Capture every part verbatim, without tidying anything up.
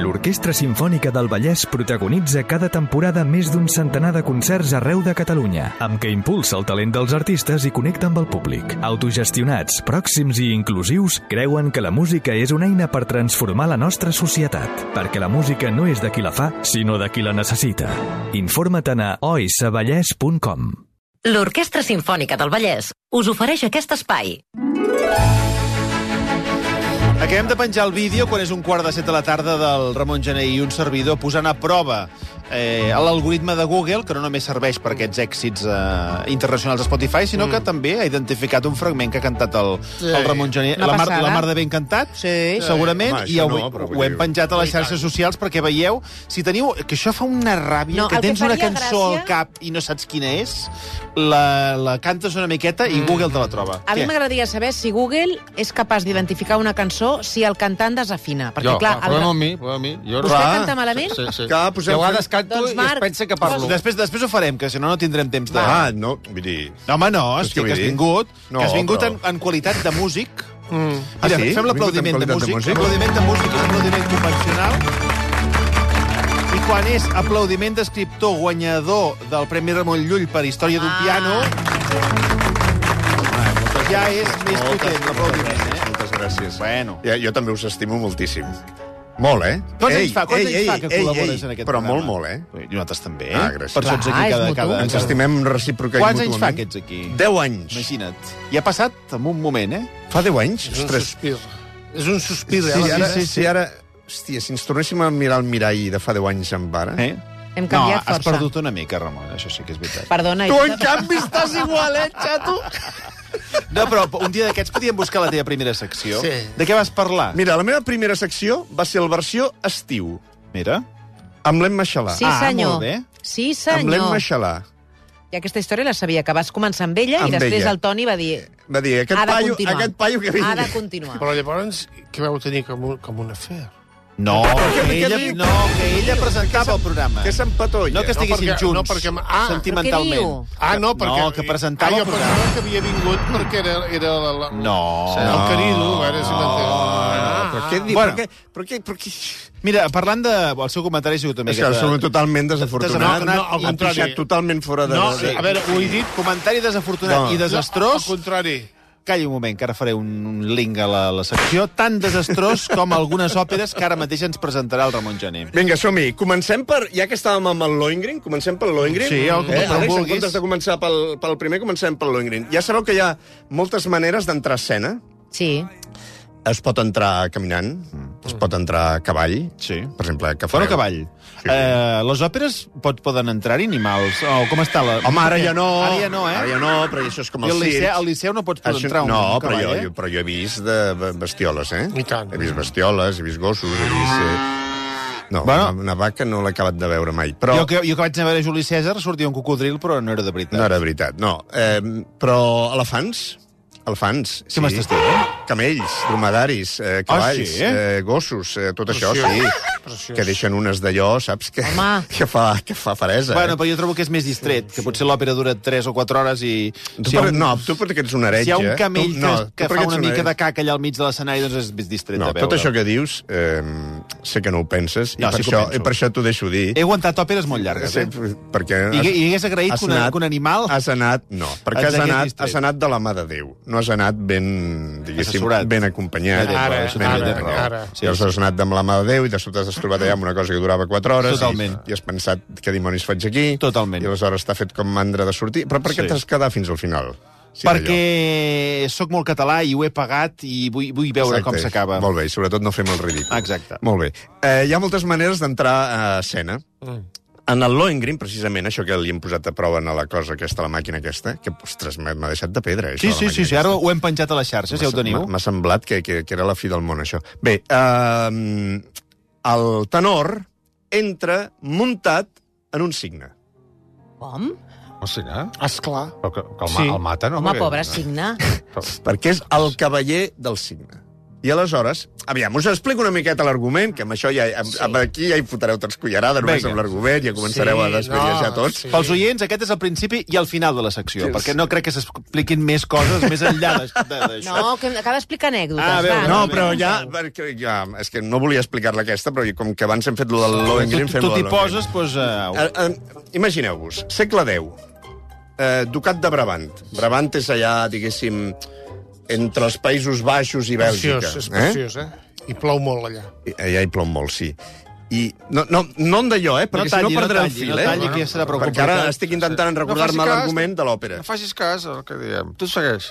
L'Orquestra Simfònica del Vallès protagonitza cada temporada més d'un centenar de concerts arreu de Catalunya, amb què impulsa el talent dels artistes i connecta amb el públic. Autogestionats, pròxims i inclusius, creuen que la música és una eina per transformar la nostra societat, perquè la música no és de qui la fa, sinó de qui la necessita. Informa't a oisavallès punt com. L'Orquestra Simfònica del Vallès us ofereix aquest espai. Acabem de penjar el vídeo quan és un quart de set de la tarda del Ramon Gené i un servidor posant a prova eh, l'algoritme de Google, que no només serveix per aquests èxits eh, internacionals de Spotify, sinó mm. que també ha identificat un fragment que ha cantat el, sí. el Ramon Gené. La mar, la mar de ben cantat, sí. segurament, sí. Home, i ho, no, ho hem penjat a les xarxes socials perquè veieu, si teniu... Que això fa una ràbia, no, que tens que una cançó gràcia... al cap i no saps quina és, la, la cantes una miqueta i mm. Google te la troba. A Què? mi m'agradaria saber si Google és capaç d'identificar una cançó si el cantant desafina. Perquè, jo, clar, però el... no a mi, però a mi. Jo, Vostè clar. canta malament? Sí, sí. Clar, posem... Jo a vegades canto doncs, Marc, i es pensa que parlo. Després, després ho farem, que si no, no tindrem temps de... Ah, no, vull dir... No, home, no, hosti, que, que has vingut, no, que has vingut però... en, en qualitat de músic. Mm. Ah, Mira, sí? Fem l'aplaudiment de, de músic. L'aplaudiment de músic és un aplaudiment convencional. I quan és aplaudiment d'escriptor guanyador del Premi Ramon Llull per Història d'un ah. piano... Ja és més potent l'aplaudiment, eh? Moltes gràcies. Bueno. Ja, jo també us estimo moltíssim. Molt, eh? Quants anys fa, quants ei, anys fa que ei, col·labores ei, en aquest però programa? Però molt, molt, eh? I nosaltres també. Ah, gràcies. Per això ets aquí cada... cada... Ens estimem recíproca i Quants mútuament. anys fa que ets aquí? Deu anys. Imagina't. I ha passat en un moment, eh? Fa deu anys? És un Ostres. sospir. És un sospir, sí, eh? Ara, sí, sí, sí. sí, ara... Hòstia, si ens tornéssim a mirar el mirall de fa deu anys amb ara... Eh? Hem canviat no, força. has perdut una mica, Ramon, això sí que és veritat. Perdona. Tu, en canvi, estàs igual, eh, xato? No, però un dia d'aquests podíem buscar la teva primera secció. Sí. De què vas parlar? Mira, la meva primera secció va ser el versió estiu. Mira. Amb l'Emma Xalà. Sí, senyor. Ah, molt bé. Sí, senyor. Amb l'Emma Xalà. I aquesta història la sabia, que vas començar amb ella amb i després ella. el Toni va dir... Va dir, aquest ha de paio, continuar. aquest paio que vingui. Ha de continuar. Però llavors, què vau tenir com un, com un afer? No, que ella, no, que ella presentava el programa. Que s'empatolla. No que estiguessin no, perquè, junts, no, perquè, ah, sentimentalment. Ah, no, perquè... No, que presentava ah, el programa. Jo pensava que havia vingut perquè era... era la, la, no. El no. querido, a veure si m'entén. Ah, però què diu? Bueno. Per què? Per què? Per què? Mira, parlant de... El seu comentari ha sigut una miqueta... És que és totalment desafortunat. No, no, al contrari. Ha pixat totalment fora de... No, sí. a veure, ho he dit... Comentari desafortunat no. i desastrós... No, al contrari. Calli un moment, que ara faré un link a la, la secció, tan desastrós com algunes òperes que ara mateix ens presentarà el Ramon Gené. Vinga, som-hi. Comencem per... Ja que estàvem amb el Lohengrin, comencem pel Lohengrin. Sí, el que eh, Àlex, en comptes de començar pel, pel primer, comencem pel Lohengrin. Ja sabeu que hi ha moltes maneres d'entrar a escena. Sí. Es pot entrar caminant, mm. es pot entrar a cavall. Sí. Per exemple, que fareu... Bueno, cavall. Sí. Eh, les òperes pot, poden entrar-hi animals? O com està la... Home, ara ja no. Ara ja no, eh? Ara ja no, però això és com el circ. circ. Al Liceu no pots això... entrar un, no, un cavall, però jo, eh? jo, però jo he vist de bestioles, eh? I tant. He vist bestioles, he vist gossos, he vist... Eh... No, bueno, una, una vaca no l'he acabat de veure mai. Però... Jo, que, jo que vaig anar a veure Juli César sortia un cocodril, però no era de veritat. No era de veritat, no. Eh, però elefants... Elefants, sí. Què m'estàs dient? Camells, dromedaris, eh, cavalls, ah, sí? eh, gossos, eh, tot Preciós. això, sí. Preciós. Que deixen unes d'allò, saps? Que, Home. que, fa, que fa faresa. Bueno, eh? però jo trobo que és més distret, que potser l'òpera dura tres o quatre hores i... Tu si per, un, no, tu perquè ets un heretge. Si hi ha un camell tu, no, que, que fa una mica de caca allà al mig de l'escenari, doncs és més distret no, de veure. Tot això que dius, eh, sé que no ho penses, no, i, per sí això, i per això t'ho deixo dir. He aguantat òperes molt llargues, eh? Sí, perquè I, I hagués agraït que, una, anat, que un animal... Has anat, no, perquè has anat, has anat de la mà de Déu. No has anat ben, diguéssim, assessorat. Ben acompanyat. Ara, ben ara, ben ara. Sí, llavors has anat amb la mà de Déu i de sobte t'has trobat allà amb una cosa que durava quatre hores. Totalment. I, i has pensat, què dimonis faig aquí? Totalment. I aleshores t'ha fet com mandra de sortir. Però per què Sí. t'has quedat fins al final? Sí, perquè sóc molt català i ho he pagat i vull, vull veure Exacte. com s'acaba. Molt bé, i sobretot no fem el ridícul. Exacte. Molt bé. Eh, hi ha moltes maneres d'entrar a escena. Mm. En el Lohengrin, precisament, això que li hem posat a prova a la cosa aquesta, a la màquina aquesta, que, ostres, m'ha deixat de pedra, això. Sí, sí, sí, sí, ara ho hem penjat a les xarxes, ja ho teniu. M'ha semblat que, que, que era la fi del món, això. Bé, eh, el tenor entra muntat en un cigne. Com? O cigne? Esclar. Però que, que el, Sí. ma, el mata, no? Home, Perquè- pobre cigne. Perquè és el cavaller del cigne. I aleshores, aviam, us explico una miqueta l'argument, que amb això ja, amb, amb aquí ja hi fotreu tots cullerada, només Vinga. amb l'argument, ja començareu Sí, a desvellejar no, tots. sí. Pels oients, aquest és el principi i el final de la secció, Sí, perquè sí. no crec que s'expliquin més coses més enllà de- de- d'això. No, que acaba d'explicar anècdotes. Ah, veu, va, No, no, però no, ja, perquè ja... És que no volia explicar-la aquesta, però com que abans hem fet lo del Lohengrin, Tu fem tu lo t'hi del Lohengrin. poses, doncs... Uh, Eh, eh, Imagineu-vos, segle deu, eh, Ducat de Brabant. Brabant és allà, diguéssim, entre els Països Baixos i Bèlgica. Preciós, és preciós, eh? I plou molt allà. Eh? Allà hi plou molt, sí. I no, no, no en d'allò, eh? Perquè No talli, si no perdré no el talli, fil, no eh? talli, que ja serà prou Perquè ara complicat. estic intentant recordar-me No facis cas, l'argument de l'òpera. No facis cas al que diem. Tu segueix.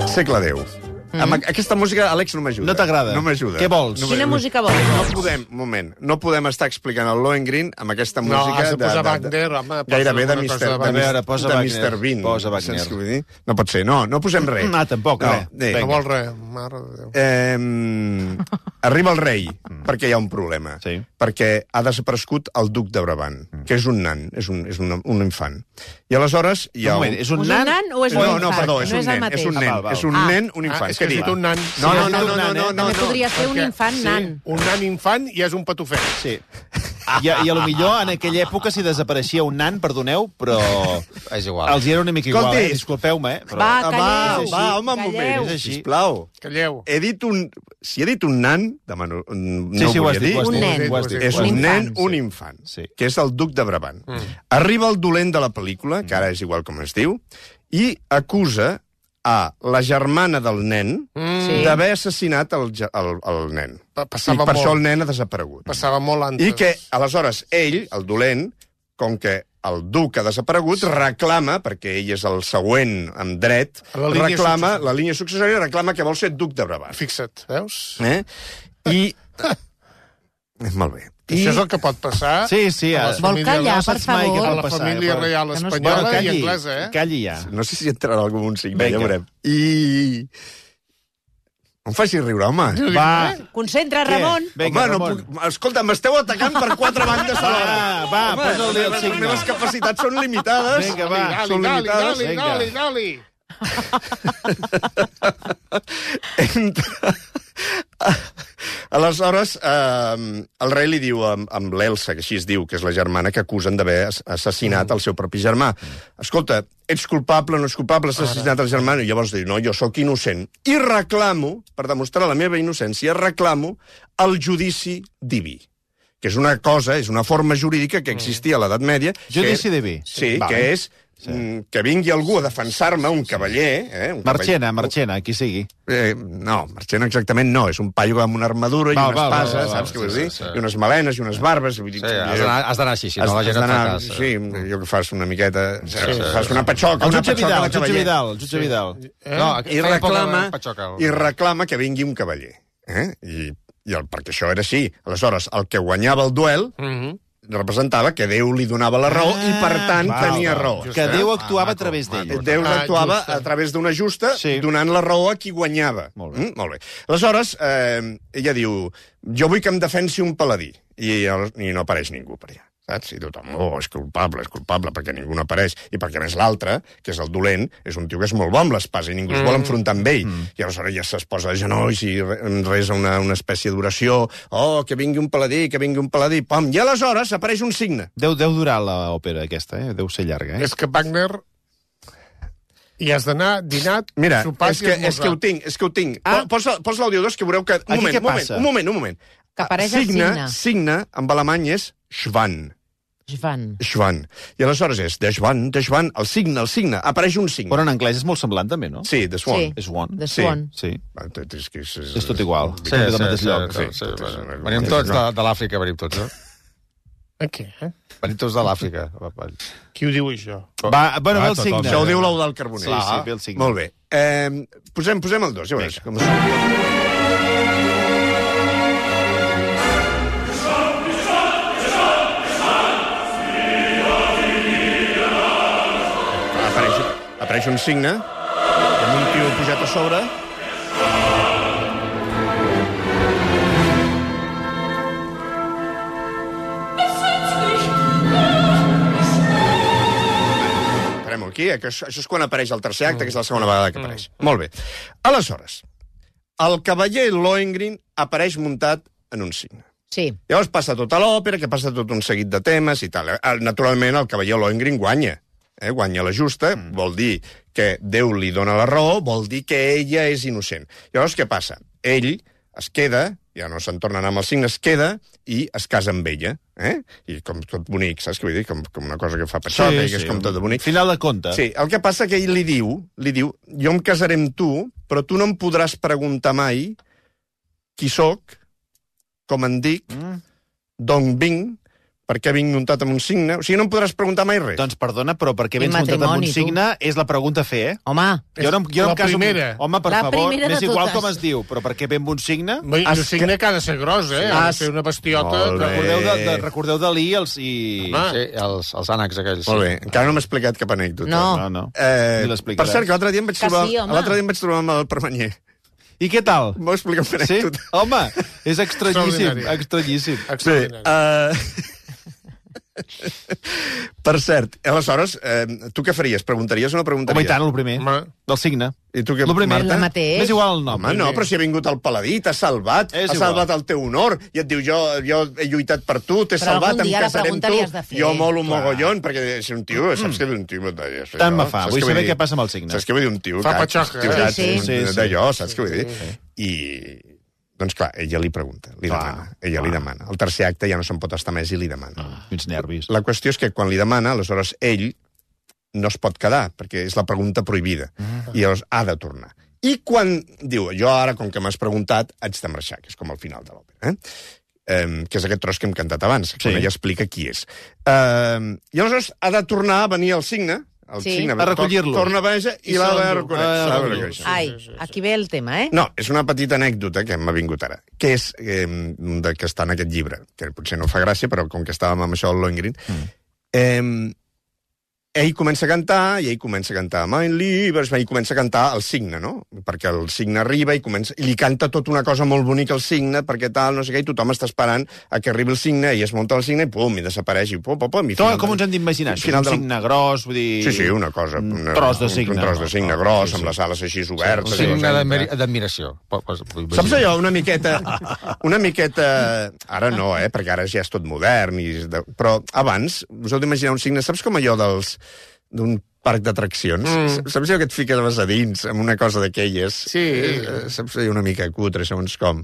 Segle deu. Mm. Amb aquesta música, Àlex, no m'ajuda. No t'agrada? No m'ajuda. Què vols? No Quina m'ajuda. música vols? No podem, un moment, no podem estar explicant el Lohengrin amb aquesta No, música... has de posar Wagner, home, posa Gairebé de alguna mister cosa de de, Wagner. A veure, posa de Wagner. mister Bean. Posa Wagner. Saps què vull dir? No pot ser, no, no posem res. Ah, tampoc, no, res. Bé, No vol res. Mare de Déu. Eh, arriba el rei, perquè hi ha un problema. Sí. Perquè ha desaparegut el duc de Brabant, que és un nan, és un, és un, un infant. I aleshores hi ha Un moment, és un És un nan? nan o és un No, infant? no, perdó, és No un és el nen, mateix. és un Ah, nen, val, val. és un Ah. nen, un Ah, infant. és que has dit un nan. No, Sí, no, has no, dit no, un no, nan, no, eh? no, També no. podria ser un Perquè, infant sí, nan. Un nan infant i és un patufet. Sí. I, I a lo millor en aquella època si desapareixia un nan, perdoneu, però És igual. els hi era una mica igual, Escolti. eh? Disculpeu-me, eh? Però... Va, Ah, va, calleu. va, home, un Calleu. moment, És així. sisplau. Calleu. He dit un... Si he dit un nan, demano, no Sí, sí, ho ho has volia dit, dir. ho has Un dit. nen. ho has dit, És ho has un dit. nen, infant, un sí. infant, Sí. que és el duc de Brabant. Mm. Arriba el dolent de la pel·lícula, que ara és igual com es diu, i acusa a la germana del nen Mm. Sí. d'haver assassinat el, ge- el, el nen. Pa- I passava per molt. això el nen ha desaparegut. Passava molt antes. I que, aleshores, ell, el dolent, com que el duc ha desaparegut, reclama, perquè ell és el següent en dret, A la línia reclama, successòria. la línia successòria reclama que vol ser duc de Brabant. Fixa't, veus? Eh? I... Molt bé. I... Això és el que pot passar Sí, sí. a A... les Vol famílies- callar, no per saps mai què favor. a pot la passar, família eh? reial Que no es- espanyola Bueno, i calli, anglesa, eh? calli ja. No sé si entrarà algú amb un signe, Vinga. ja veurem. I... No em facis riure, home. Va, Concentra, Ramon. Vinga, home, no Ramon. puc... Escolta, m'esteu atacant per quatre bandes alhora. Va, va, Home, posa el dia al les signe. meves capacitats són limitades. Vinga, va. Dali, són dali, limitades. dali, Vinga. dali, dali. Entra... Aleshores, eh, el rei li diu amb, amb l'Elsa, que així es diu, que és la germana, que acusen d'haver ass- assassinat el seu propi germà. Escolta, ets culpable o no ets culpable, has assassinat el germà? I llavors diu, no, jo sóc innocent. I reclamo, per demostrar la meva innocència, reclamo el judici diví, que és una cosa, és una forma jurídica que existia a l'edat mèdia. Judici que, diví. Sí, Vale. que és sí. que vingui algú a defensar-me, un cavaller... Eh, un Marchena, cavaller- Marchena, qui sigui. Eh, no, Marchena exactament no. És un paio amb una armadura i Val, una val, val, espasa, val, saps val, què vull sí, dir? sí, sí. I unes melenes i unes barbes. Vull dir, Sí, has d'anar has d'anar així, si no la gent et fa d'anar- cas. Sí, jo que fas una miqueta... sí, fas sí. una patxoca, El una jutge patxoca Vidal, de el jutge cavaller. Vidal, el jutge Vidal. No, I feia poc reclama, de patxoca. I reclama que vingui un cavaller. Eh? I, i el, perquè això era així. Aleshores, el que guanyava el duel Mhm. representava que Déu li donava la raó i, per tant, val, tenia val. raó. Que Déu Ah, actuava a maco, través d'ell. maco. Déu Ah, actuava justa. a través d'una justa, Sí. donant la raó a qui guanyava. Molt bé. Mm, molt bé. Aleshores, eh, ella diu, jo vull que em defensi un paladí. I, i no apareix ningú per allà. Saps? I tothom, oh, és culpable, és culpable, perquè ningú no apareix. I perquè, a més, l'altre, que és el dolent, és un tio que és molt bo amb l'espasa i ningú es vol enfrontar amb ell. Mm. I aleshores ja es posa de genolls i re- resa una, una espècie d'oració. Oh, que vingui un paladí, que vingui un paladí. Pam. I aleshores apareix un signe. Deu, deu durar l'òpera aquesta, eh? Deu ser llarga, eh? És que Wagner... I has d'anar dinat, Mira, sopat és i que, esmorzar. és que ho tinc, és que ho tinc. Ah. Ah. Posa, posa l'àudio dos que veureu que... Un Aquí moment, què un moment, passa? un moment, un moment. Que apareix el signe, signe. signe, en alemany és Schwan. Joan. Schwan. I aleshores és de Schwan, de Schwan, el signe, el signe. Apareix un signe. Però en anglès és molt semblant, també, no? Sí, de Swan. Sí. És one. The Sí. Swan. Sí. Ah, t- És, que és, És tot igual. Sí, Som del sí, mateix sí, lloc. sí, sí, sí. Venim tots de, de l'Àfrica, venim tots, eh? A què, eh? Venim tots de l'Àfrica. Qui ho diu, això? Va, bueno, ve el tothom. signe. Això ho diu l'ou del carboner. Sí, sí, ve el signe. Molt bé. Eh, posem, posem el dos, ja veuràs. Com es... Apareix, apareix un signe amb un tio pujat a sobre. Farem aquí, que això, això és quan apareix el tercer acte, que és la segona vegada que apareix. Molt bé. Aleshores, el cavaller Lohengrin apareix muntat en un cigne. Sí. Llavors passa tota l'òpera, que passa tot un seguit de temes i tal. Naturalment, el cavaller Lohengrin guanya. Eh? Guanya la justa, mm. vol dir que Déu li dona la raó, vol dir que ella és innocent. Llavors, què passa? Ell es queda, ja no se'n torna a anar amb el cigne, es queda i es casa amb ella. Eh? I com tot bonic, saps què vull dir? Com, com una cosa que fa patxoca sí, i que sí, és com tot de bonic. Final de conte. Sí, el que passa que ell li diu, li diu, jo em casaré amb tu, però tu no em podràs preguntar mai qui sóc, com en dic, mm. d'on vinc, per què vinc muntat amb un signe. O sigui, no em podràs preguntar mai res. Doncs perdona, però per què vens muntat amb un signe és la pregunta a fer, eh? Home, jo no, jo la em caso primera. Amb... Home, per la favor, m'és igual totes. com es diu, però per què ve amb un signe? Un signe que ha de ser gros, eh? Ha de ser una bestiota. Recordeu, de, de, recordeu Dalí els, i... Sí, els, els ànecs aquells. Molt bé, encara no m'ha explicat cap anècdota. No. No, no. Eh, per cert, que l'altre dia em vaig trobar, sí, l'altre dia em vaig trobar amb el Permanyer. I què tal? M'ho explica una anècdota. Sí? Home, és estranyíssim. Estranyíssim. Sí, uh... Per cert, aleshores, eh, tu què faries? Preguntaries o no preguntaries? Home, i tant, el primer. Home. Del signe. I tu què, el primer, Marta? El mateix. M'és igual el nom. Home, no, però si ha vingut el paladí, t'ha salvat, És ha igual. salvat el teu honor, i et diu, jo, jo he lluitat per tu, t'he Però salvat, algun em dia la casaré amb pregunta tu, li has de fer. jo molo un mogollon, perquè és un tio, saps què vull dir? Un tio... Tant me fa, Saps vull què saber dir? què passa amb el signe. Saps què vull dir? Un tio... Fa que- patxoca, tio, eh? que- Sí, sí. d'allò, saps què vull dir? I... Doncs clar, ella li pregunta, li Clar, demana, ella clar. li demana. El tercer acte ja no se'n pot estar més i li demana. Ah, quins nervis. La qüestió és que quan li demana, aleshores ell no es pot quedar, perquè és la pregunta prohibida, Ah. i llavors ha de tornar. I quan diu, jo ara, com que m'has preguntat, haig de marxar, que és com el final de l'òpera, eh? Um, que és aquest tros que hem cantat abans, Sí. quan ella explica qui és. Um, I aleshores ha de tornar a venir el signe, el Sí. signe A recollir-lo. torna a venir i, I l'ha de se'l- reconèixer. ah, s'ha de recollir-lo. reconèixer. Ai, aquí ve el tema, eh? No, és una petita anècdota que m'ha vingut ara, que és eh, de, que està en aquest llibre, que potser no fa gràcia, però com que estàvem amb això del Lohengrin, mm. eh, ell comença a cantar, i ell comença a cantar Mein Liebes, i comença a cantar el signe, no? Perquè el signe arriba i, comença, i li canta tota una cosa molt bonica al signe, perquè tal, no sé què, i tothom està esperant a que arribi el signe, ell es munta el signe i pum, i desapareix, i pum, pum, pum. I Com, final com de- ens hem d'imaginar? Això? final Un de la- signe gros, vull dir... Sí, sí, una cosa... Un Una, tros de signe. Un, un tros de signe no? gros, Sí, sí. amb les ales així Un obertes. i signe les- d'admiri- d'admiració. Saps allò, una miqueta... Una miqueta... Ara no, eh, perquè ara ja és tot modern, i, és de, però abans, us heu d'imaginar un signe, saps com allò dels d'un parc d'atraccions? Mm. Saps allò que et fiques a dins, amb una cosa d'aquelles? Sí. Eh, saps allò una mica cutre, segons com?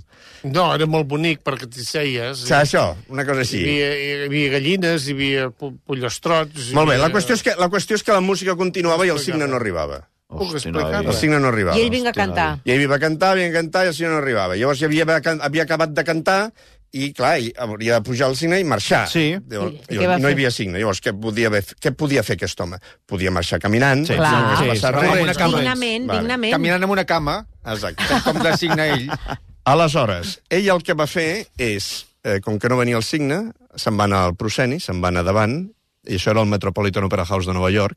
No, era molt bonic perquè t'hi seies. Saps això? Una cosa Hi així. havia, hi havia gallines, hi havia pu- pollostrots... hi Molt bé, la havia- qüestió, és que, la qüestió és que la música continuava i el signe no arribava. Puc Hosti, explicar-la? El signe no arribava. I ell vinga a cantar. I ell va cantar, havia de cantar, i el signe no arribava. Llavors ja havia, havia acabat de cantar, i, clar, ell hauria de pujar al signe i marxar. Sí. Llavors, I- i què va no hi fer? havia signe. Llavors, què podia, haver, què podia fer aquest home? Podia marxar caminant. Sí, Clar. no hagués sí, passat sí, res. amb una cama. Dignament, Vale. dignament. Caminant amb una cama, Exacte. com designa ell. Aleshores, ell el que va fer és, eh, com que no venia el signe, se'n va anar al prosceni, se'n va anar davant, i això era el Metropolitan Opera House de Nova York.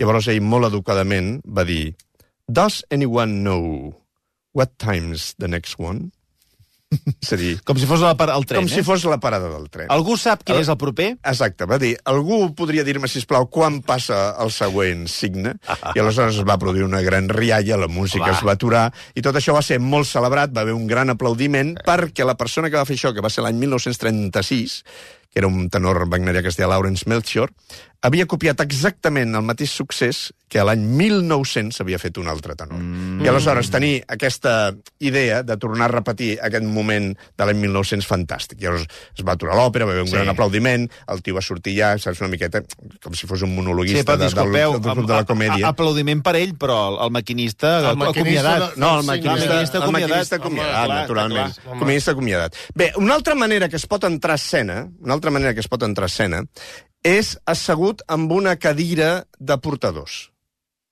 Llavors ell, molt educadament, va dir: Does anyone know what time's the next one? És a dir, Com si fos la, par- el tren, com eh? si fos la parada del tren. Algú sap quin és el proper? Exacte, va dir, algú podria dir-me, sisplau, quan passa el següent signe? I aleshores es va produir una gran rialla, la música Va. es va aturar, i tot això va ser molt celebrat, va haver un gran aplaudiment, perquè la persona que va fer això, que va ser l'any mil nou-cents trenta-sis, que era un tenor wagnerià que es deia Lawrence Melchior, havia copiat exactament el mateix succés que l'any mil nou-cents havia fet un altre tenor. Mm. I aleshores tenir aquesta idea de tornar a repetir aquest moment de l'any mil nou-cents fantàstic. I llavors es va aturar l'òpera, va haver un Sí. gran aplaudiment, el tio va sortir ja, saps, una miqueta, com si fos un Sí, monologuista però de, del, disculpeu, del, del, de la comèdia. a- a- aplaudiment per ell, però el, el maquinista El maquinista acomiadat. de- No, el Sí, maquinista, el maquinista el acomiadat. maquinista acomiadat, Home, clar, naturalment. clar, home. Comunista acomiadat. Bé, una altra manera que es pot entrar a escena, una altra manera que es pot entrar a escena, és assegut amb una cadira de portadors.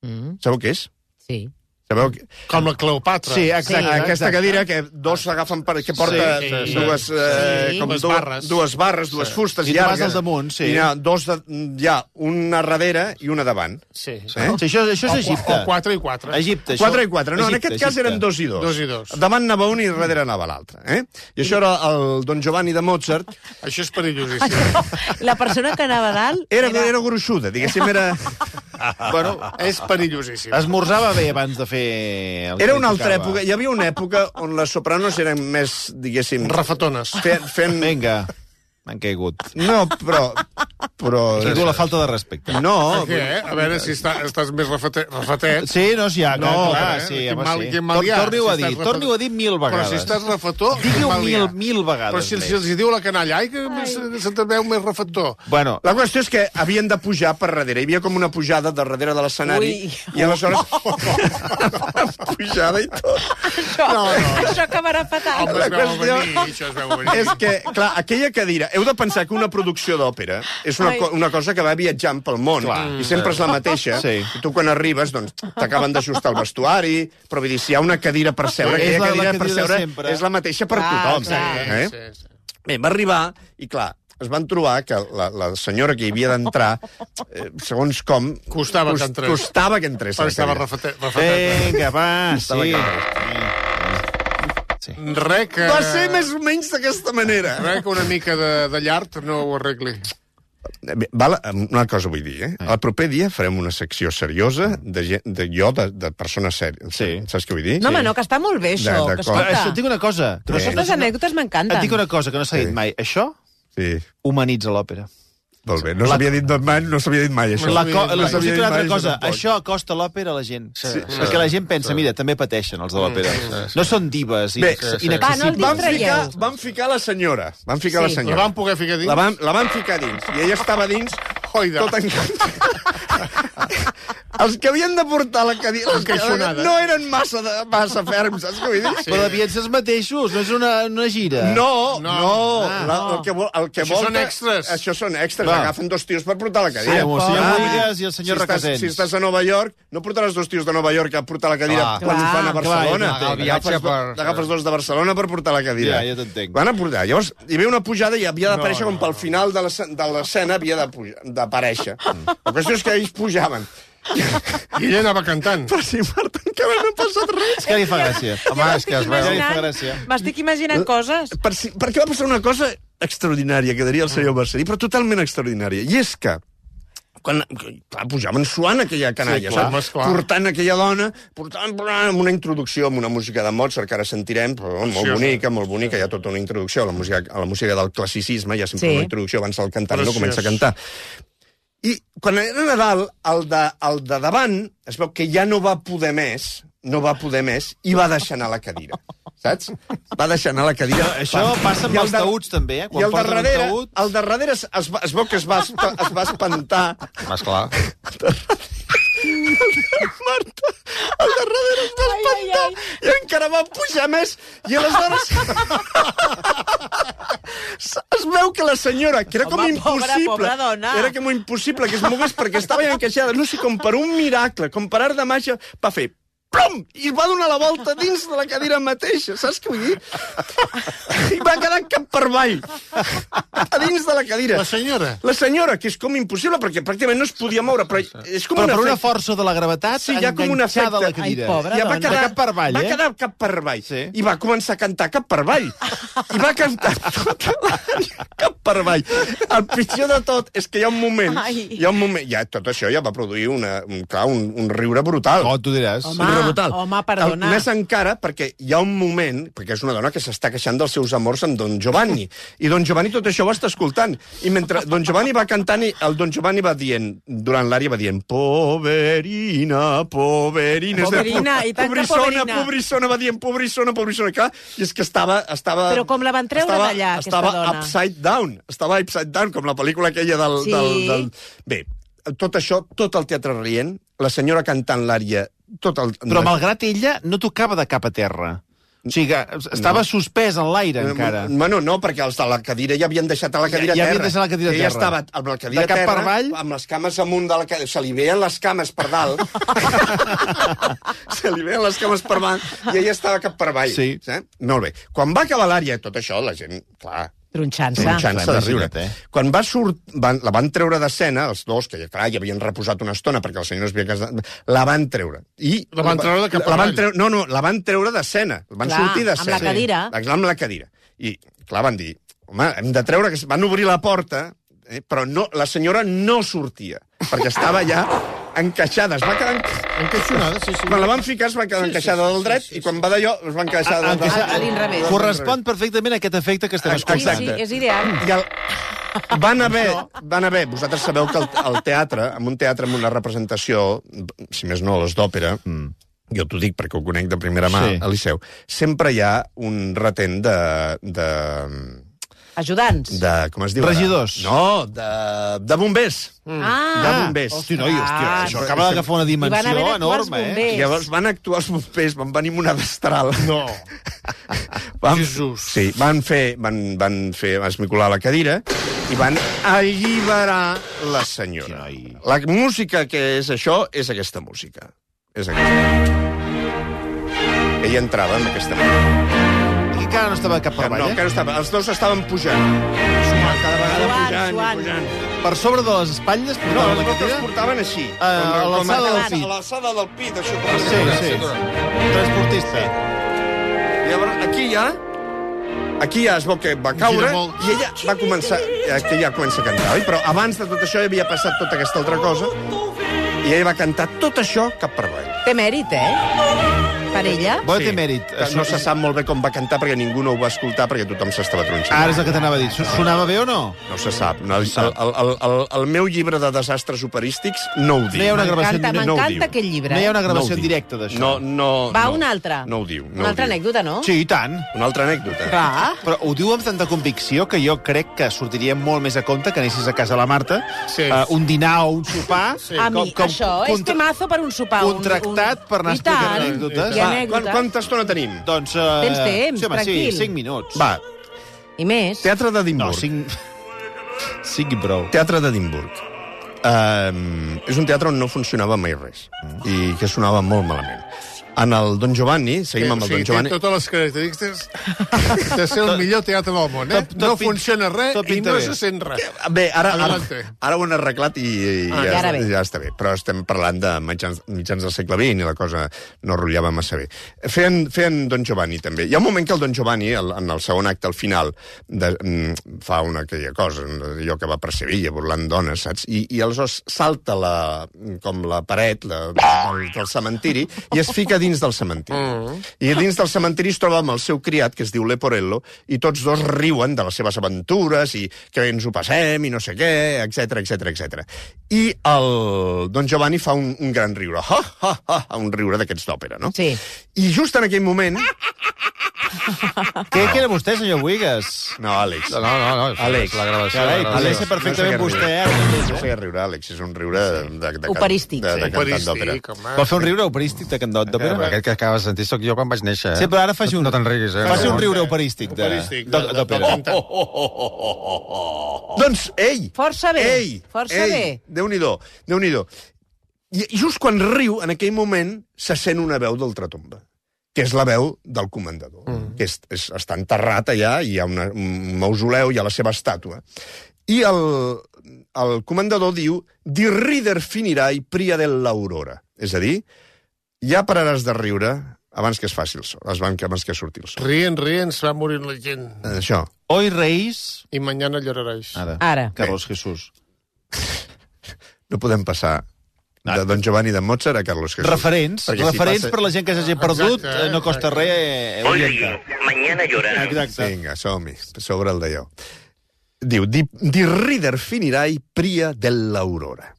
Mm, Sabeu què és? sí. Sabeu que... Com la Cleopatra. Sí, exacte. Sí. Aquesta exacte. cadira que dos s'agafen per... que porta Sí, sí, sí. dues, eh, Sí. com Dues dues barres. dues barres, dues fustes I tu vas llargues. al damunt, sí. I hi ha dos de, hi ha una darrere i una davant. Sí. Eh? Sí, això, això és Egipte. O quatre i quatre. Egipte, això. Quatre i quatre. No, en Egipte, aquest cas Egipte. eren dos i dos. Dos i dos. Davant anava un i darrere anava l'altre. Eh? I això era el Don Giovanni de Mozart. Això és perillosíssim. La persona que anava a dalt... Era, era gruixuda, diguéssim, era... Bueno, És perillosíssim. esmorzava bé abans de fer... el que Era li una altra tocava. època. Hi havia una època on les sopranos eren més, diguéssim... Rafetones. Fent... fent... Vinga, m'han caigut. No, però... però... I tu la falta de respecte. No, Què, eh? A veure si està, estàs més rafete, rafetet. Sí, no, sí, ja, No, no, clar, eh? sí, Quin home, mal- sí. quin mal hi ha, Torni-ho a si dir, estàs torni-ho a dir mil Però vegades. si estàs refetó... Digui-ho quin mal hi ha. mil, mil vegades Però si, més. si els hi diu la canalla, ai, que se- se'n veu més refetó. Bueno, la qüestió és que havien de pujar per darrere. Hi havia com una pujada de darrere de l'escenari. Ui. I aleshores... pujada i tot. Això, No, no. això acabarà fatal. Home, La es veu qüestió venir, això es veu venir. És que, clar, aquella cadira... Heu de pensar que una producció d'òpera és una, Ai. co una cosa que va viatjant pel món. Clar. I sempre és la mateixa. Sí. I tu, quan arribes, doncs, t'acaben d'ajustar el vestuari, però vull dir, si hi ha una cadira per seure, És aquella la- la cadira per cadira seure sempre. és la mateixa per Clar, tothom. clar. Eh? Sí, sí. Bé, va arribar i, clar, es van trobar que la, la senyora que hi havia d'entrar, eh, segons com... Costava que entrés. Costava que entrés. a Perquè la estava cadira. rafetet. rafetet. vinga, va, Estava sí. que- Res que... Va ser més o menys d'aquesta manera. Res que una mica de, de llard no ho arregli. Bé, val, una cosa vull dir, eh? El proper dia farem una secció seriosa de, gent, de jo, de, de persones sèries. Sí. Saps què vull dir? No, home, no, que està molt bé, això. De- de Que, com- Però, escolta, això, et dic una cosa. Que no, Eh. s'ha- aquestes anècdotes et m'encanten. dic una cosa que no s'ha dit Sí. mai. Això Sí. humanitza l'òpera. Molt bé. No s'havia dit mai, no s'havia dit mai, això. La, s'havia co dit la, mai. us dic una altra mai, cosa. tampoc. Això acosta l'òpera a la gent. Sí, sí. Perquè la gent pensa, mira, també pateixen els de l'òpera. No són divas Bé, inaccessibles. sí, sí. Va, no el Van distraieu. ficar, van ficar la senyora. Van ficar Sí. la La senyora. van poder ficar dins? La van, la van ficar dins. I ella estava dins, Oida. tot encantat. Els que havien de portar la cadira... els que- Encaixonada. No eren massa, de, massa ferms, saps què vull dir? Però devien ser els mateixos, no és una, una gira. No, No. no. Ah, la, no. el que, vol, el que Això volta, són extras. Això són extras. Clar. Agafen dos tios per portar la Sí, cadira. amb el senyor Ah, Boigas i el senyor si estàs, Requesens. si estàs a Nova York, no portaràs dos tios de Nova York a portar la cadira Clar. quan ho fan a Clar, Barcelona. ja t'entenc. El viatge Agafes, per- agafes dos de Barcelona per portar la cadira. Ja, ja t'entenc. Van a portar. Llavors, hi havia una pujada i havia d'aparèixer No, com pel final de l'escena de l'escena havia de pujar- d'aparèixer. La qüestió és que ells pujaven. I ella anava cantant. Però si, Marta, encara no ha passat res. És que li fa gràcia. Home, és que es veu... Ja li fa gràcia. M'estic imaginant coses. Per, si, perquè va passar una cosa extraordinària, que diria el senyor Mercedí, però totalment extraordinària. I és que quan clar, pujaven suant aquella canalla, Sí, clar, saps? home, esclar. Portant aquella dona, portant, portant amb una introducció, amb una música de Mozart, que ara sentirem, però molt Preciosa. bonica, molt bonica, hi ha tota una introducció a la música, a la música del classicisme, hi ha sempre Sí. una introducció abans del cantant no Preciós. comença a cantar. I quan era Nadal, el de, el de davant, es veu que ja no va poder més, no va poder més, i va deixar anar la cadira. Saps? Va deixar anar la cadira. Això passa amb I el els de- taüts, també, eh? Quan I el de porten un darrere, taüt- el de darrere es, es, va- es veu que es va, espa- es va espantar. Esclar. Marta, el de darrere es va espantar i encara va pujar més. I aleshores... es veu que la senyora, que era com Home, pobra, impossible, pobra dona. era com impossible que es mogués perquè estava ja encaixada, no sé, com per un miracle, com per art de màgia, va fer plom! I va donar la volta dins de la cadira mateixa, saps què vull dir? I va quedar cap per avall, a dins de la cadira. La senyora. La senyora, que és com impossible, perquè pràcticament no es podia moure, però és com Però un per una efecte. força de la gravetat, Sí, hi ha com un enganxada a la efecte. cadira. Ai, pobra Ja va dona. quedar, De cap per avall, va eh? quedar cap per avall. Sí. I va començar a cantar cap per avall. I va cantar tota l'àrea cap per avall. El pitjor de tot és que hi ha un moment... Ai. Hi ha un moment... Ja, tot això ja va produir una, un, clar, un, un riure brutal. Oh, tu diràs. Home, Un riure brutal. home, perdona. El, més encara perquè hi ha un moment, perquè és una dona que s'està queixant dels seus amors amb Don Giovanni, i Don Giovanni tot això ho està escoltant. I mentre Don Giovanni va cantant, i el Don Giovanni va dient, durant l'ària va dient, poverina, poverina. És a dir, Poverina, i tant que pobrissona, poverina. pobrissona, va dient, pobrissona, pobrissona. Clar, i és que estava... estava Però com la van treure estava, d'allà, aquesta estava dona? upside down, estava upside down, com la pel·lícula aquella del... Sí. del, del... Bé, tot això, tot el teatre rient, la senyora cantant l'ària, tot el... Però malgrat ella no tocava de cap a terra. O sigui, que estava no. suspès en l'aire, encara. Bueno, no, perquè els de la cadira ja havien deixat a la cadira ja, ja terra. havien deixat la cadira terra. Ja estava amb la cadira de cap terra, per avall? amb les cames amunt de la cadira. Se li veien les cames per dalt. Se li veien les cames per avall i ella estava cap per avall. Sí. Eh? Molt bé. Quan va acabar l'ària, tot això, la gent, clar... Tronxant-se. Tronxant-se de riure. Eh? Quan va surt, van, la van treure d'escena, els dos, que clar, ja havien reposat una estona perquè el senyor no es havia casat, la van treure. I La van treure de cap la van avall. treure, No, no, la van treure d'escena. Van Clar, sortir d'escena. amb la cadira. Sí. Amb la cadira. I, clar, van dir, home, hem de treure... Que... Van obrir la porta, eh, però no, la senyora no sortia, perquè estava ja encaixada. Es va quedar... Encaixonada, sí, sí. Quan la van ficar es va quedar Sí, sí, encaixada sí, del dret, sí, sí, i quan va d'allò es va encaixar del Encaixar- dret. A l'inrevés. Correspon perfectament a aquest efecte que estem Exacte. Sí, escoltant. sí, és ideal. I el... Van haver, van haver, vosaltres sabeu que el, el teatre, en un teatre amb una representació, si més no, les d'òpera, mm. jo t'ho dic perquè ho conec de primera mà, Sí. al Liceu, sempre hi ha un retent de... de Ajudants. de, com es diu? ara? Regidors. No, de, de bombers. Ah, De bombers. Hosti, noi, hòstia, Ah, això acaba d'agafar una Hi van dimensió haver d'actuar els enorme, eh? bombers. Llavors van actuar els bombers, van venir amb una destral. No. Van, Jesús. Sí, van fer, van, van fer esmicolar la cadira i van alliberar la senyora. Ai. La música que és això és aquesta música. És aquesta. Ella entrava amb aquesta música. I encara no estava cap per No, avall, encara eh? estava, els dos estaven pujant. Sumant, cada vegada Joan, pujant Joan. i pujant. Per sobre de les espatlles? No, portaven els la dos cadira? els portaven així. Ah, a l'alçada del pit. A l'alçada del pit, això. Com Sí, sí. Transportista. Llavors, aquí ja... Aquí ja es veu que va caure Gira molt. i ella va començar... Aquí ja comença a cantar, oi? Però abans de tot això havia passat tota aquesta altra cosa i ella va cantar tot això cap per avall. Té mèrit, eh? Per ella. Bo té mèrit. Que no se sap molt bé com va cantar perquè ningú no ho va escoltar perquè tothom s'estava tronxant. Ara és el que t'anava a dir. Sonava bé o no? No se sap. No, el, el, el, el, el meu llibre de desastres operístics no ho diu. No hi ha una gravació en M'encanta, directe. no ho m'encanta diu. aquest llibre. No hi ha una No gravació ho en diu. directe d'això. No, no, Va, no. una altra. No ho diu. No Una altra ho diu. anècdota, no? Sí, i tant. Una altra anècdota. Clar. Però ho diu amb tanta convicció que jo crec que sortiria molt més a compte que anessis a casa de la Marta, Sí. uh, un dinar o un sopar... Sí. A mi, això és temazo per un sopar. un- contractat un... per anar I tant. explicant anècdotes. I Va, anècdotes. Quan, quanta estona tenim? Doncs... Uh, Tens temps, sí, home, tranquil. Sí, cinc minuts. Va, I més. Teatre No, d'Edimburg. cinc... Cinc i prou. Teatre d'Edimburg. Um, és un teatre on no funcionava mai res i que sonava molt malament. En el Don Giovanni, seguim amb el sí, Don Giovanni... té totes les característiques de ser el millor teatre del món, eh? Tot- tot no pin- funciona res tot i pinta no bé. se sent res. Bé, ara, ara, Adelante. ara ho han arreglat i, i Ah, ja, i ara bé. ja està bé. Però estem parlant de mitjans, mitjans del segle vint i la cosa no rotllava massa bé. Feien, feien Don Giovanni, també. Hi ha un moment que el Don Giovanni, el, en el segon acte, al final, de, mm, fa una aquella cosa, allò que va per Sevilla, burlant dones, saps? I, i aleshores salta la, com la paret la, del, del cementiri i es fica dins del cementiri. Mm. I dins del cementiri es troba amb el seu criat, que es diu Leporello, i tots dos riuen de les seves aventures i que ens ho passem i no sé què, etc etc etc. I el Don Giovanni fa un, un gran riure, ha, ha, ha, un riure d'aquests d'òpera, no? Sí. I just en aquell moment... Què que era vostè, senyor Buigas? No, Àlex. No, no, no. Àlex. La gravació. Carai, la podria gravació. ser perfectament No sé què vostè, riure. ara mateix, No eh? sé què riure, Àlex, és un riure de, de, de, Operístic. de, de, de cantant d'òpera. Operístic, home. Vol fer un riure operístic de cantant d'òpera? Però aquest que acabes de sentir sóc jo quan vaig néixer, eh? Sí, però ara faci un... No te'n riguis, eh? Faci un No. riure operístic de- Operístic, de- d'ò- de- d'òpera. de cantant. Doncs, ell... Força bé, Ell, força ell, bé. Déu-n'hi-do, Déu-n'hi-do. I just quan riu, en aquell moment, se sent una veu d'ultratomba, que és la veu del comandador, mm. que és, és, està enterrat allà, i hi ha una, un mausoleu, hi ha la seva estàtua. I el, el comandador diu «Di rider finirai pria dell'aurora». És a dir, ja pararàs de riure abans que es faci el sol, abans que surti el sol. Rient, rient, se va morir la gent. Això. Hoy reís... I mañana lloraréis. Ara. Ara. Carlos Jesús. No podem passar de Don Giovanni de Mozart a Carlos Jesús. Referents, Perquè si referents passa- per la gent que s'hagi perdut, Exacte, eh, no costa res eh, orientar. mañana llorarás. Exacte. Vinga, som-hi, sobre el d'allò. Diu, di, di rider finirai pria dell'aurora.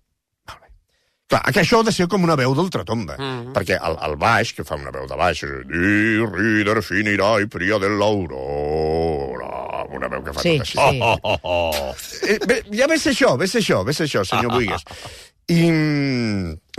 Molt bé. Clar, que això ha de ser com una veu d'ultratomba, mm. perquè el, el baix, que fa una veu de baix, és di rider finirai pria dell'aurora, una veu que fa Sí, tot així. sí. Oh, oh, oh, oh. Eh, bé, ja ve ser això, ve ser això, ve ser això, senyor Buigas. I,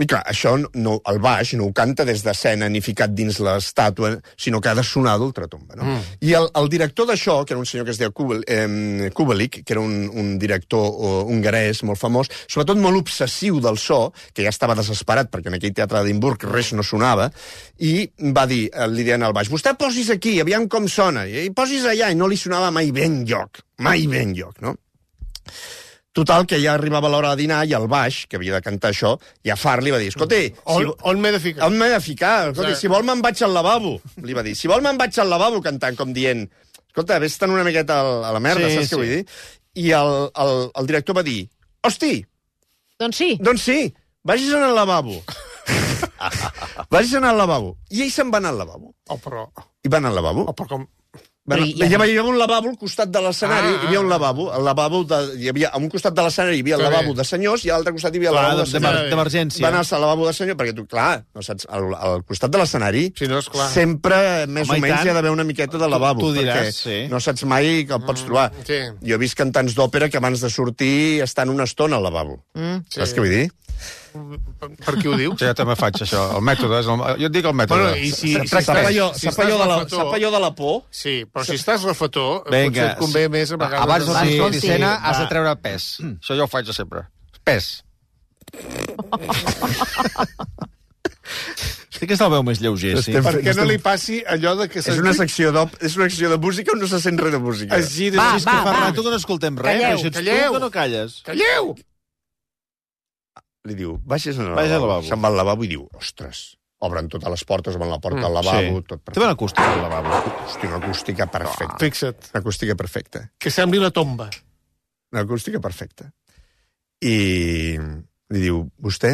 I clar, això no, el baix no ho canta des d'escena ni ficat dins l'estàtua, sinó que ha de sonar d'ultratomba, no? Mm. I el, el director d'això, que era un senyor que es deia Kubel, eh, Kubelik, que era un, un director uh, hongarès molt famós, sobretot molt obsessiu del so, que ja estava desesperat perquè en aquell teatre d'Edimburg res no sonava, i va dir, li deien al baix, vostè posis aquí, aviam com sona, i posis allà, i no li sonava mai ben lloc, mai ben lloc, no? Total, que ja arribava l'hora de dinar i el baix, que havia de cantar això, ja far li va dir, escolta... On, si, on m'he de ficar? On m'he de ficar? Escolta, si vol me'n vaig al lavabo, li va dir. Si vol me'n vaig al lavabo cantant, com dient, escolta, vés-te'n una miqueta a la merda, sí, saps sí. Què vull dir? I el, el, el director va dir, hosti! Doncs sí. Doncs sí, vagis anar al lavabo. Vagis anar al lavabo. I ell se'n va anar al lavabo. Oh, però... I va anar al lavabo. Oh, però com... Bueno, hi havia un lavabo al costat de l'escenari, ah, hi havia un lavabo, el lavabo de, hi havia, a un costat de l'escenari hi havia el lavabo de senyors i a l'altre costat hi havia el lavabo de senyors. D'emergència. Va anar al lavabo de senyors, perquè tu, clar, no saps, al, al costat de l'escenari sí, no, sempre, més Home, o menys, hi ha d'haver una miqueta de lavabo, tu, tu diràs, perquè sí. no saps mai que el pots trobar. Mm, sí. Jo he vist cantants d'òpera que abans de sortir estan una estona al lavabo. Mm, sí. Saps què vull dir? Per qui ho diu? Sí, jo també faig això. El mètode, és el... jo et dic el mètode. Bueno, i si, si sap allò, si sap allò, de la, sap allò de la por? Sí, però si estàs refator, Venga, potser et convé sí. més a vegades... Abans de sí, sortir sí. d'escena has de treure pes. Això jo ho faig sempre. Pes. Sí que és el veu més lleuger, sí. Per què no li passi allò de que... És una secció de, és una secció de música on no se sent res de música. Es giri... Va, és va, que fa va. rato que no escoltem res, Calleu, però si ets calleu. tu que no calles. Calleu! Li diu, vagis al Vagi al lavabo. lavabo. Se'n va al lavabo i diu, ostres, obren totes les portes, obren la porta al lavabo, Sí. tot Té perfecte. bona acústica, el lavabo. Hosti, una acústica perfecta. Fixa't, Una acústica perfecta. que sembli la tomba. Una acústica perfecta. I li diu, vostè,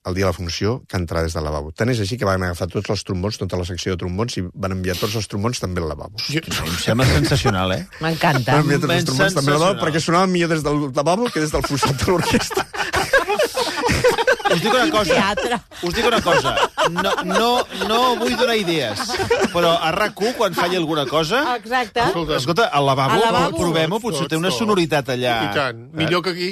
el dia de la funció, cantarà des del lavabo. Tant és així que van agafar tots els trombons, tota la secció de trombons, i van enviar tots els trombons també al lavabo. Jo... Em sembla sensacional, eh? M'encanta. Van enviar tots els trombons també al lavabo sensacional. perquè sonava millor des del lavabo que des del fossat de l'orquestra. Us dic una cosa. Teatre. Us dic una cosa. No, no, no vull donar idees, però a RAC u, quan falli alguna cosa... Exacte. Escolta, al lavabo, Al lavabo. provem-ho, potser té una sonoritat allà... I tant, millor que aquí.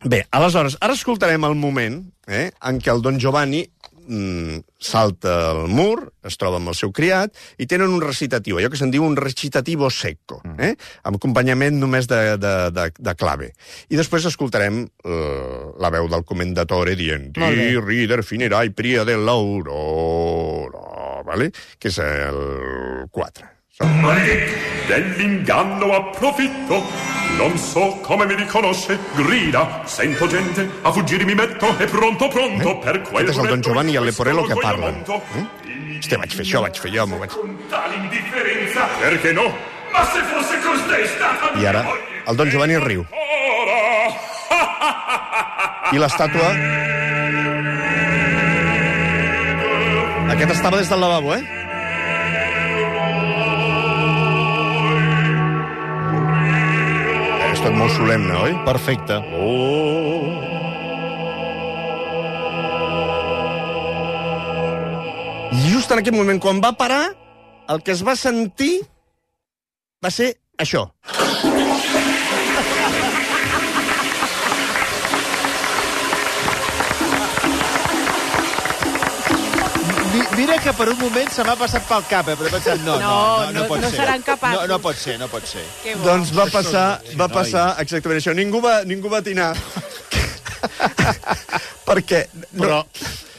Bé, aleshores, ara escoltarem el moment eh, en què el Don Giovanni mm, salta el mur, es troba amb el seu criat, i tenen un recitatiu, allò que se'n diu un recitativo secco, eh, amb acompanyament només de, de, de, de clave. I després escoltarem uh, la veu del commendatore dient «Di rider finirai pria dell'aurora», vale? Que és el quatre. Maledetto, dell'inganno approfitto, non so come mi riconosce, grida, sento gente, a fuggire mi metto, e pronto, pronto, Eh? per quel Aquest és el Don Giovanni i el questo Leporello que orgoglio parlen. monto. Eh? Hòstia, vaig fer això, vaig fer allò, m'ho vaig... Con tale indifferenza, perché no? Ma se fosse costei stata I ara, el Don Giovanni riu. I l'estàtua... Aquest estava des del lavabo, eh? És tot molt solemne, oi? Perfecte. Oh. I just en aquest moment, quan va parar, el que es va sentir va ser això. Mi- Mira que per un moment se m'ha passat pel cap, eh? Però he pensat, no, no, no, no, No, pot no ser. seran capaços. No, no pot ser, no pot ser. Que bo. Doncs va passar, va passar exactament això. Ningú va, ningú va atinar. Perquè... Però...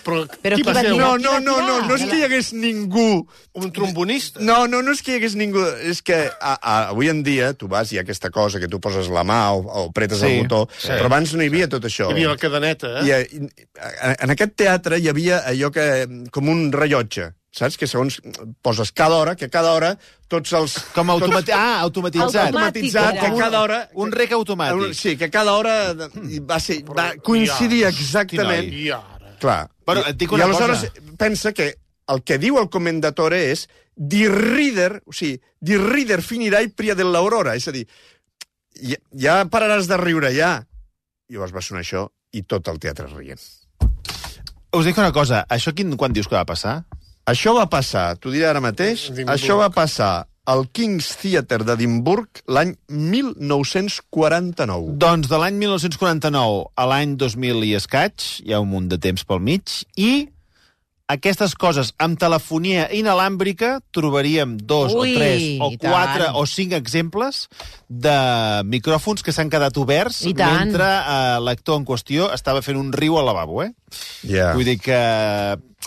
Però, Però qui qui va va ser? dir? No, no, no, no, no és que hi hagués ningú... Un trombonista? No, no, no és que hi hagués ningú... És que a, a, avui en dia tu vas i hi ha aquesta cosa que tu poses la mà o, o pretes Sí, el botó, sí. però abans no hi havia tot això. Hi havia la cadeneta, eh? I, i, en aquest teatre hi havia allò que... com un rellotge, saps? Que segons poses cada hora, que cada hora tots els... Com automati... tots, Ah, automatitzat. automatitzat, que era. cada hora... Un rec automàtic. Sí, que cada hora va, ser, va coincidir exactament... I ara? Clar. Bueno, I, et dic i una aleshores cosa. pensa que el que diu el commendatore és di rider, o sigui, di rider finirai pria dell'aurora, és a dir, ja, ja pararàs de riure, ja. I llavors va sonar això i tot el teatre rient. Us dic una cosa, això quin, quan dius que va passar? Això va passar, t'ho diré ara mateix, Edimburg. això va passar al King's Theatre d'Edimburg l'any mil nou-cents quaranta-nou? Doncs de l'any mil nou-cents quaranta-nou a l'any dos mil i escaig, hi ha un munt de temps pel mig, i aquestes coses amb telefonia inalàmbrica trobaríem dos Ui, o tres o i quatre tant. o cinc exemples de micròfons que s'han quedat oberts I tant. mentre eh, l'actor en qüestió estava fent un riu al lavabo, eh? Yeah. Vull dir que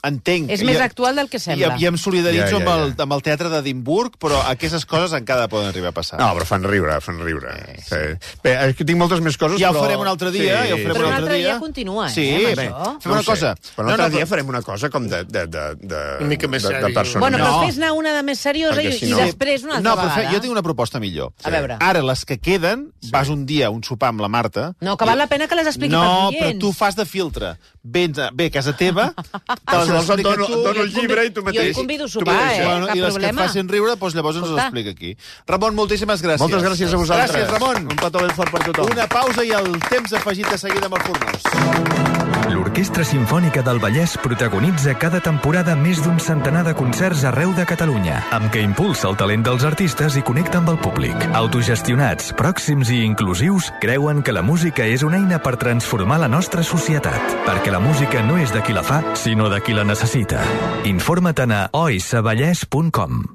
entenc... És més I- actual del que sembla. I, i em solidaritzo Ja, ja, ja. Amb, el, amb el teatre d'Edimburg, però aquestes coses encara poden arribar a passar. No, però fan riure, fan riure. Sí. Bé, és que tinc moltes més coses, Ja ho però... farem un altre dia, ja ho farem Però un un altre altre dia. dia continua, eh, Sí, amb bé, això. fem una No ho cosa. sé, però un altre dia farem una cosa com de... de, de, de Una mica més de, de sèrio. persona. Bueno, però No. fes-ne una de més seriosa Perquè i, si i no- després una altra no, però fe, vegada. jo tinc una proposta millor. A veure. Ara, les que queden, vas un dia a un sopar amb la Marta... No, que val la pena que les expliqui no, pels No, oients. però tu fas de filtre. Vens a, ve a casa teva, te les Si vols, et explica dono, tu... et dono el Jo et llibre i tu convido- mateix... jo et convido a tu sopar, mateix, eh? Bueno, cap I les problema. que et facin riure, doncs llavors ens les Escolta. explica aquí. Ramon, moltíssimes gràcies. Moltes gràcies a vosaltres. Gràcies, Ramon. Un petó ben fort per tothom. Una pausa i el temps afegit de seguida amb el Fornós. L'Orquestra Simfònica del Vallès protagonitza cada temporada més d'un centenar de concerts arreu de Catalunya, amb què impulsa el talent dels artistes i connecta amb el públic. Autogestionats, pròxims i inclusius, creuen que la música és una eina per transformar la nostra societat, perquè la música no és de qui la fa, sinó de qui la necessita. Informa't a o s vallès punt com.